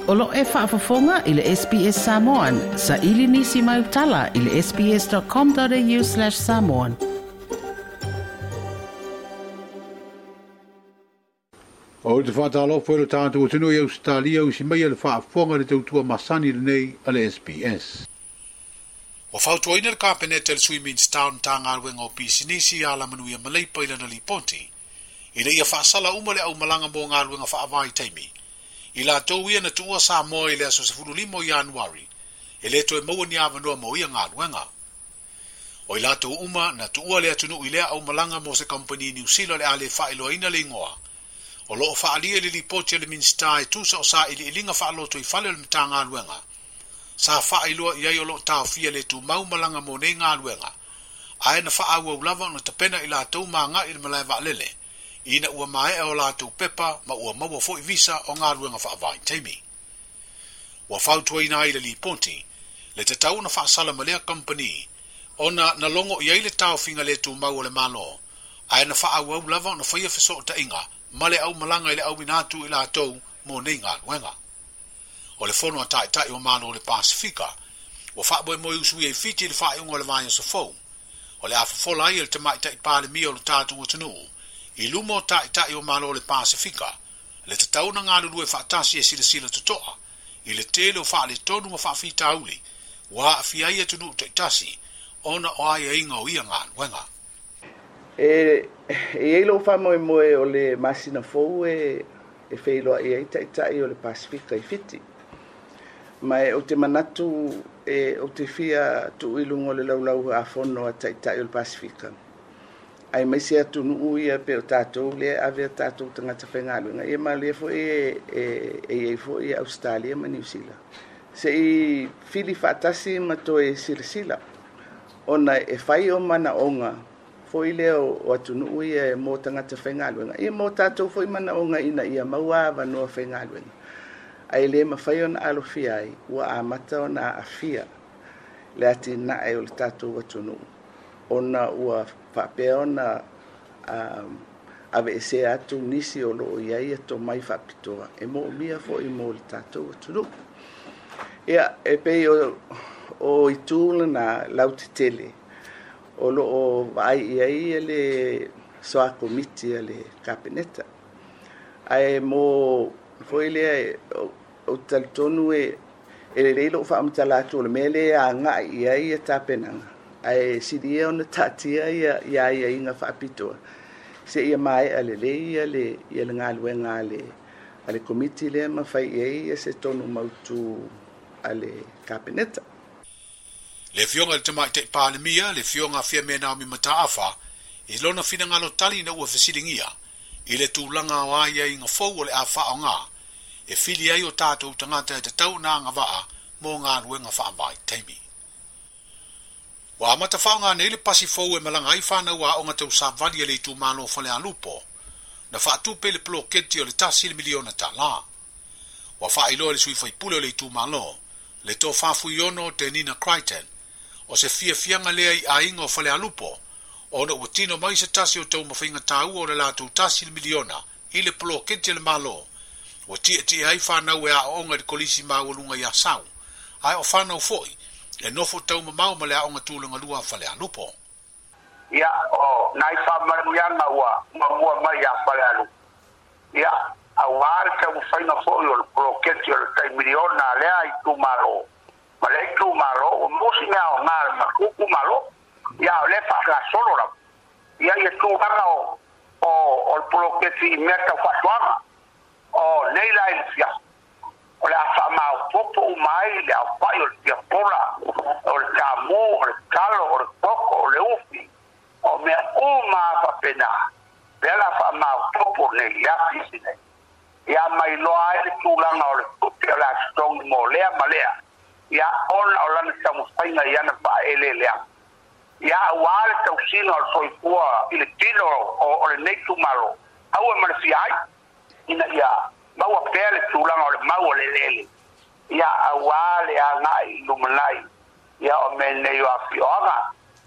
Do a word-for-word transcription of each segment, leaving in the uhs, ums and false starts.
O lo e faafofoga i le S B S Samoan, sa ili nisi mai utala i le sbs.com.au slash samoan. O te whātālofo e lo tātou tino i Australia o si mai le whaafonga le tautua masani lenei a le S B S. Ua fautuaina le Kapeneta le Sui Minista o Matagaluega o Pisinisi a Alamanuia ma Leipa i lana lipoti. I le ia whaasala uma le au malanga mo ngā whaavai taimi. I latou ia na tuua Samoa i le aso sefulu lima o Ianuari, e le toe maua ni avanoa mo ia galuega. O i latou uma na tuua le atunuu i lea au malanga mo se kampani New Zealand le ale faailoaina le ingoa. O loo faalia le lipoti a le Minista e tusa o sa iliiliga faaloto i fale o le Matagaluega. Sa faailoa i ai o loo taofia le tumau malaga mo nei galuega. Ae na faaauau lava ona tapena i latou maga i le malae vaalele. Ina ua maea o latou pepa ma ua maua foi visa o galuega faavaitaimi. Ua fautuaina ai le lipoti, le tatau na faasala ma lea kampani, ona na logo i ai le taofiga le tumau o le Malo, ae na faaauau lava ona faia fesootaiga ma le aumalaga i le auina atu i latou mo nei galuega. O le fono a taitai o Malo o le Pasifika, ua faamoemoe usuia i Fiti i le faaiuga o le vaiaso fou, o le afofola ai e le tamaitai Palemia o le tatou atunuu, i luma o taitai o Malo o le Pasifika, le tatau na galulue faatasi e silasila totoa, i le tele o faaletonu ma faafitauli, ua aafia ai atunuu taitasi, ona o aiaiga o ia galuega. E e i lou faamoemoe o le masina fou e e feiloai ai taitai o le Pasifika i Fiti. Ma e o te manatu e o te fia tuu i luga o le laulau afono a taitai o le Pasifika. Ai mai se atunuu ia pe o tātou le ave a tātou tagata faigaluega. Ia ma lea foi e e e iai foi Australia ma New Zealand. Se i fili faatasi ma toe silasila ona e fai o manaoga foi lea o atunuu ia e mo tagata faigaluega. Ia mo tātou foi manaoga ina ia maua avanoa faigaluega. Ai le mafai ona alofia ai, ua amata ona aafia le atinae o le tātou atunuu. Ona ua faapea ona um, aveesea atu nisi o loo iai e tomai faapitoa e moomia foi mo le tātou atunuu. Ia, e pei o, o itu lena lautetele o loo vaai i ai le soa komiti a le Kapeneta. Ae mo foi lea o, o talitonu e e lelei lou faamatala atu o le mea lea agai i ai ia tapenaga. Ae silia ona taatia ia ia aiaiga faapitoa se ia maea lelei ia le ia le galuega a le a le komiti lea ma fai i ai ia se tonu mautu a le Kapeneta. Le fioga le tamaitai Palemia, le fioga Fiame Naomi Mataafa, i lona finagalo tali na ua fesiligia, i le tulaga o aiaiga fou o le a faaaoga, e fili ai o tātou tagata e tatau na agavaa mo galuega faavaitaimi. Ua amata faaaoga nei le pasi fou e malaga ai whanau aoga tausavali e le itumalo Falealupo, na faatupe le poloketi o le tasi le miliona tālā. Ua faailoa le sui faipule o le itumalo, le tofa fuiono te Nina Crichton, o se fiafiaga lea i aiga o Falealupo, ona ua tino mai se tasi o taumafaiga taua o le latou tasi le miliona i le poloketi a le Malo, ua tietie ai whanau e aoga i le kolisi maualuga i Asau, ae o whanau foi, e nofo taumamao ma le aoga tulaga lua a Falealupo. Ia, o nai faamanuiaga ua muamua mai ia Falealupo. Ia, auā le taumafaiga foi o le poloketi o le tai miliona lea itumalo. Ma le itumalo, ua maua mea aoga le matou malo. Ia, o lea faagasolo lava. Ia, ia tulaga o o o le poloketi i mea tau faatoaga. O nei la i le fiaso. O le a faamaopopo uma ai le aofai o le fiapola, o le tamū, o le talo, o le koko, o le ufi. O mea uma a faapena. Lea la faamaopopo nei i le afisi nei. Ia mailoa ai le tulaga o le tupe o le a totogi mo lea ma lea. Ia ona o lana taumafaiga i ana faaeleeleaga. Ia auā le tausiga o le soifua i le tino o, o lenei itumalo. Aua ma le fia ai, ina ia maua pea le tulaga o le mau o le eleele. Ia auā le agai i lumanai. Ia o mea nei o afioaga,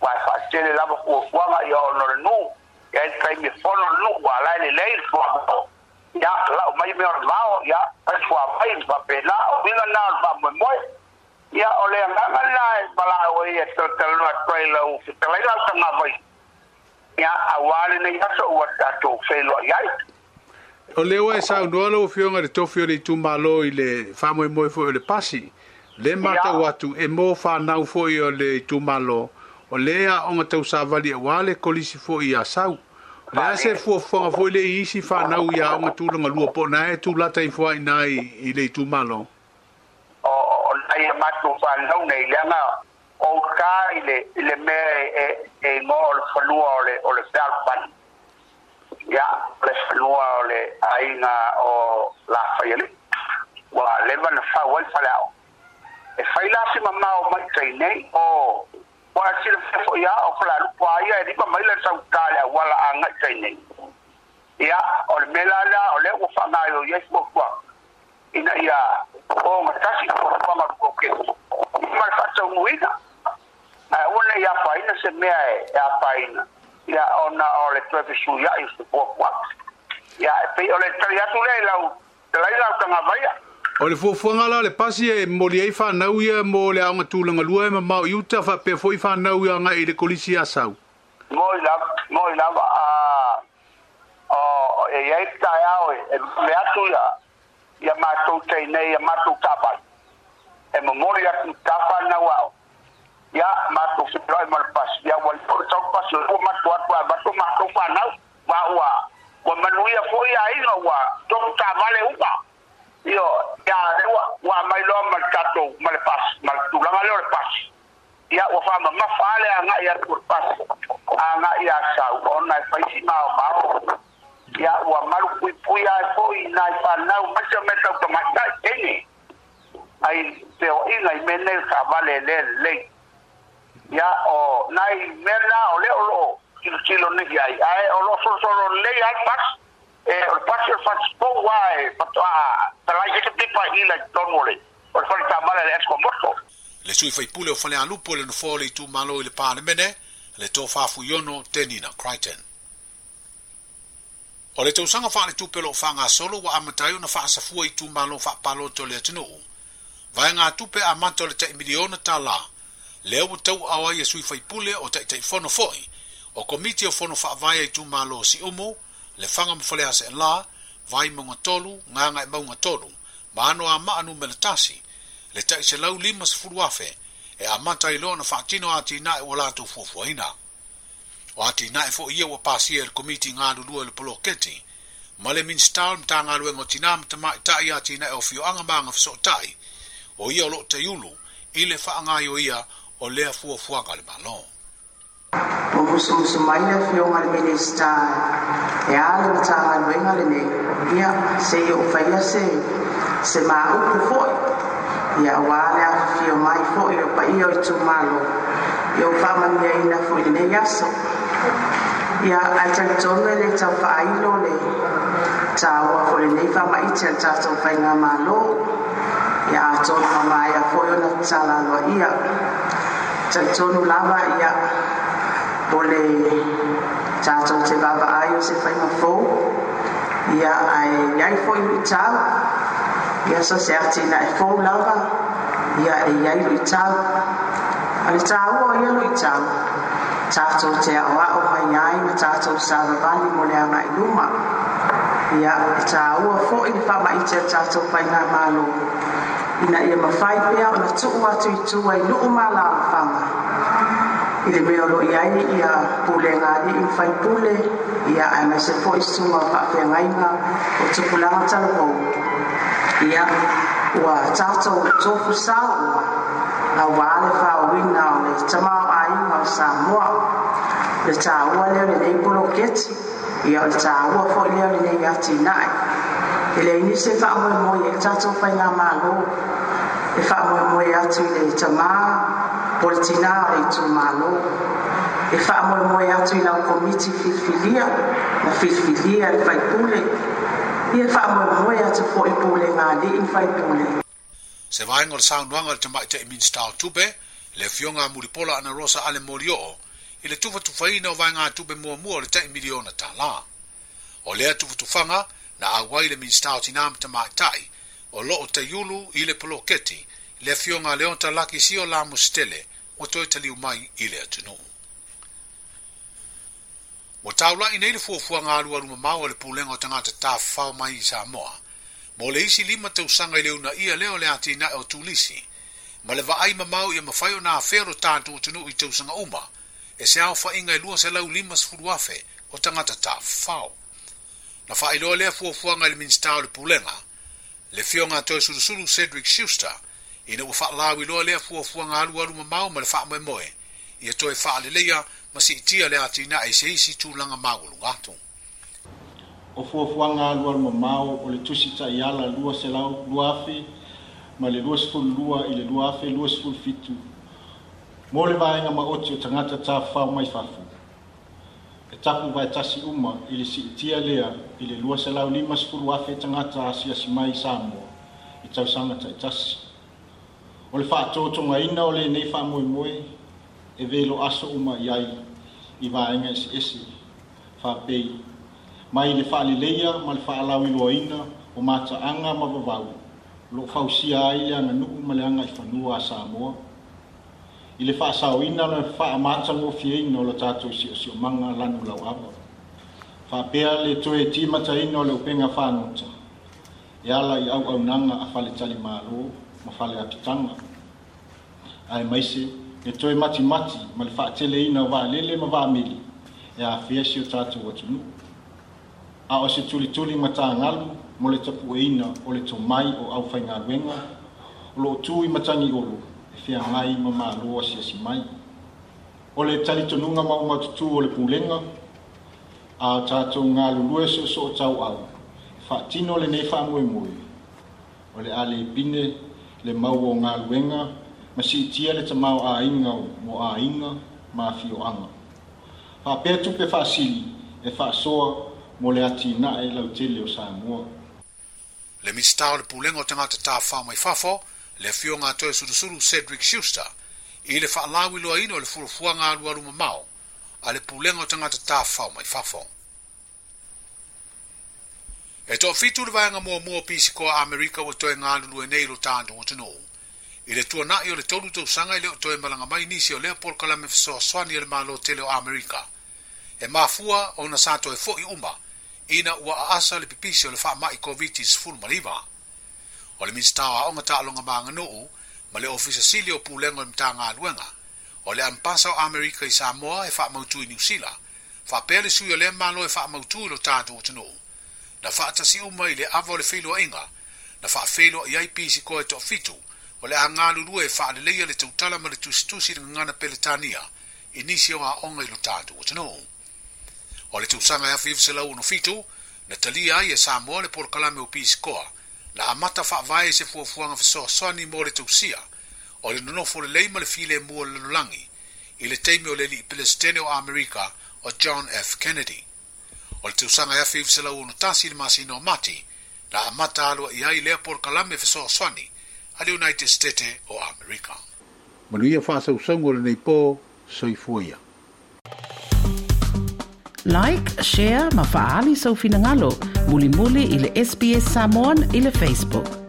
ua e faatele lava fuafuaga ia ona o le nuu. Ia i le taimi e fono le nuu, ua ala e lelei le fuamoa. Ia lau mai mai mea o le vao, ia, fai suavai ma faapena, o uiga lena o le faamoemoe. Ia, o le agaga lena e valaau ai e talatalanoa atu ai lau fetalaiga o le tagavai. Ia, auā lenei aso ua tatou feiloai ai. O lea ua e saunoa lau Afioga i le tofi o le itumalo i le faamoemoe foi o le pasi. Le matau atu e mo whanau foi o le itumalo, o lea aoga tausavali auā le kolisi foi i Asau. O le a se fuafuaga foi le i isi whanau i aoga tulaga lua po o na e tulata ifo ai i i le itumalo. O o nai a matou whanau nei, leaga o uta i le, i le mea e, e igoa o le fanua o le, o le fealofani. Ia, o le fanua o le aiga o Lafaialii. Ua leva na fau ai le faleaoga. E fai la si mamao mai tai nei, o ua silafia foi lava o Falealupo a ia e lima maila le sautā i le auala agai tai nei. Ia, o le mea la lea o lea ua faagaoioi ai fuafuaga ina ia ogatasi fuafuaga o le poloketi ma le faataunuuina. Ae aua ne i afaina se mea e afaina, ia ona o le toe fesuiai o se fuafuaga. Ia, e pei o le tali atu lea i lau talaiga o Tagavaia. O le fuafuaga la o le pasi e momoli ai whanau ia mo le aoga tulaga lua e mamao i uta faapea foi whanau ia agai i le kolisi i Asau. Moi lava, moi lava, a o e i ai le taeao e vave atu ia ia matou teinei ia matou taavale e momoli atu i ta whanau aoga. Ia matou feiloai ma le pasi, ia ua leva ona sau le pasi o lea ua matou atu ae avatu matou whanau, ma ua ua manuia foi aiga ua tofu taavale uma. Ioe, ia lea ua ua aumai loa ma le tatou ma le pasi ma le tulaga lea o le pasi. Ia ua faamamafa lava le agai atu o le pasi agai i Asau ona e fai si maomao. Ia ua malupuipuia ai foi nai fanau aemaise o mea tau tamaitai teine ai feoaiga i mea nei o taavale e le lelei. Ia o nai mea na o lea o lo o tilotilo nei ai, ae o lo o solosolo lelei lava le pasi. E o le pasi o le fasipou lava e faatoa talai ai se pipa i ila i totonu o le o le fale taavale a le Esco Moto. Le sui faipule o Falealupo i le nofoa o le itumalo i le Palemene, le Tofa Fuiono Tenina Crichton. O le tausaga faaletupe o lo o faagasolo ua amata ai ona faasafua i itumalo faapalota o le atunuu. Vaegatupe amata o le tai miliona tālā, lea ua tauaao ai e sui faipule o Taitaifono foi o Komiti o Fono Faavae a itumalo o Siumu, Lefaga ma Faleaseela, Vaimauga tolu, Gagaemauga tolu, ma Anoamaa numera tasi, le tai selau lima sefulu afe e amata ai loa ona faatino atinae ua latou fuafuaina. O atinae foi ia ua pasia e le Komiti galulue o le poloketi ma le Minisita o le Matagaluega o Tinā ma Tamaitai atinae o afioaga ma agafesootai, o ia o lo o taiulu i le faagaoioia o lea fuafuaga a le Malo. Ua musumusu mai le Afioga i le Minisita e a le Matagaluega lenei, ia, se i ou faia se se ma upu foi, ia auā le afifio mai foi o paia o itumalo, ia ua faamanuiaina foi i lenei aso. Ia, ae talitonu e le tau faailo le tāua foi o lenei faamaite a le tatou faigamalo, ia atonu ua maea foi ona tatala aloaia. Talitonu lava, ia, o le tatou te vaavaai o se faiga fou, ia, ae i ai foi luitau. Ia, so se atinae fou lava, ia, e i ai luitau. A o le tāua o ia luitau, tatou te aoao mai ai ma tatou savavali mo le agai i luma. Ia, e tāua foi le faamaite a le tatou faigamalo ina ia mafai pea ona tuu atu i tua i nuu ma alaalafaga i le mea o lo o i ai ia pulega a alii ma faipule, ia, aemaise foi susuga o faafeagaiga o tupulaga talavou. Ia, ua tatou tofu sao uma auā le faaoina o le tamaoaiga o Samoa. O le tāua lea o lenei poloketi, ia, o le tāua foi lea o lenei atinae. E leai nisi e faamoemoe i ai le tatou faigamalo, e faamoemoe atu i le tamā po o le tinā o le itumalo, e faamoemoe atu i lau komiti filifilia na filifilia e le faipule, ia, e faamoemoe atu foi i pulega a alii ma faipule. Se vaega o le saunoaga a le Tamaitai Minisita o Tupe, le Afioga a Mulipola Anarosa Ale Molioo, i le tufatufaina o vaegatupe muamua o le tai miliona tālā. O lea tufatufaga Na auai le Minista o Tinā ma Tamaitai o loo taiulu i le poloketi le afioga Leota Laki Sio Lamositele ua toe taliu mai i le atunuu. Ua taulai nei le fuafuaga alualu mamao a le Pulega o Tagata Tafafao mai i Samoa mo le isi lima tausaga i le uunaia lea o le atinae o turisi ma le vaai mamao ia mafai ona afea lo tatou atunuu i tausaga uma e se aofaiga e lua selau lima sefulu afe o tagata tafafao. Na faailoa lea fuafuaga i le Minista o le Pulega, le afioga Toeolesulusulu Cedric Schuster, ina ua faalauiloa lea fuafuaga alualu mamao ma le faamoemoe ia toe faaleleia ma siitia le atinae i se isi tulaga maualuga atu. O fuafuaga alualu mamao o le tusi taiala lua selau lua afe ma le lua sefulu lua i le lua afe lua sefulu fitu mo le vaega maoti o tagata tafafao mai fafo. E tapu vaetasi uma i le siitia lea i le lua selau lima sefulu afe tagata asiasi mai i Samoa i tausaga taitasi. O le faatotogaina o lenei faamoemoe e velo aso uma i ai i vaega eseese faapei mai le faaleleia ma le faalauiloaina o mataaga ma vavau o loo fausia ai le aganuu ma le agaifanua a Samoa i le faasaoina le faamatagofieina o le tatou siosiomaga lanu lauava faapea le toe timataina o le upega fagota e ala i auaunaga a faletalimalo ma fale apitaga ae maise le toe matimati ma le faateleina o vaalele ma vaameli e afea si o tatou atunuu a o se tulituli matagalu mo le tapueina o le tomai o aufaigaluega o loo tu i matagi olo e feagai ma malo asiasi mai. O le talitonuga maumatutu o le pulega a o tatou galulue soosoo tauau e faatino lenei faamoemoe o le a le pine le mau o galuega ma siitia le tamao aiga mo aiga ma afioaga. Faapea tupe faasili e faasoa mo le atinae lautele o Samoa. Le Minista o le Pulega o Tagata Tafafao mai Fafo, le afioga Toeolesulusulu Cedric Schuster, i le faalauiloaina o le fuafuaga alualu mamao a le Pulega o Tagata Tafafao mai Fafo. E toafitu le vaega muamua o pisikoa Amerika ua toe galulue nei lo tatou atunuu. I le tuanai o le tolu tausaga i le o toe malaga mai nisi o lea polokalame fesoasoani a le Malo tele o Amerika. E mafua ona sa toe foi uma ina ua aasa le pipisi o le faamai COVID sefulu ma iva. O le Minista o Aoga Taaloga ma Aganuu ma le Ofisa Sili o Pulega o le Matagaluega o le Ambasa o Amerika i Samoa e faamautu i Niu Sila, faapea le sui o lea malo e faamautu i lo tatou atunuu. Na faatasi uma i le ava o le feiloaiga, na faafeiloai ai pisikoa e toafitu o le a galulue e faaleleia le tautala ma le tusitusi le gagana Peretania i nisi o aoga i lo tatou atunuu. O le tausaga e afe iva selau ono fitu, na talia ai e Samoa le polokalame o pisikoa, na amata faavae se fuafuaga fesoasoani mo le tausia o le nonofo lelei ma le filemu o le lalolagi i le taimi o le alii Peresetene o Amerika o John F. Kennedy. O le tausaga e afe iva selau ono tasi le masina o Mati, na amata aloaia ai lea polokalame fesoasoani a le United States o Amerika. Manuia faasausauga o lenei po, soifua ia. Like, share ma faaali sou finagalo, mulimuli i le S B S Samoan i le Facebook.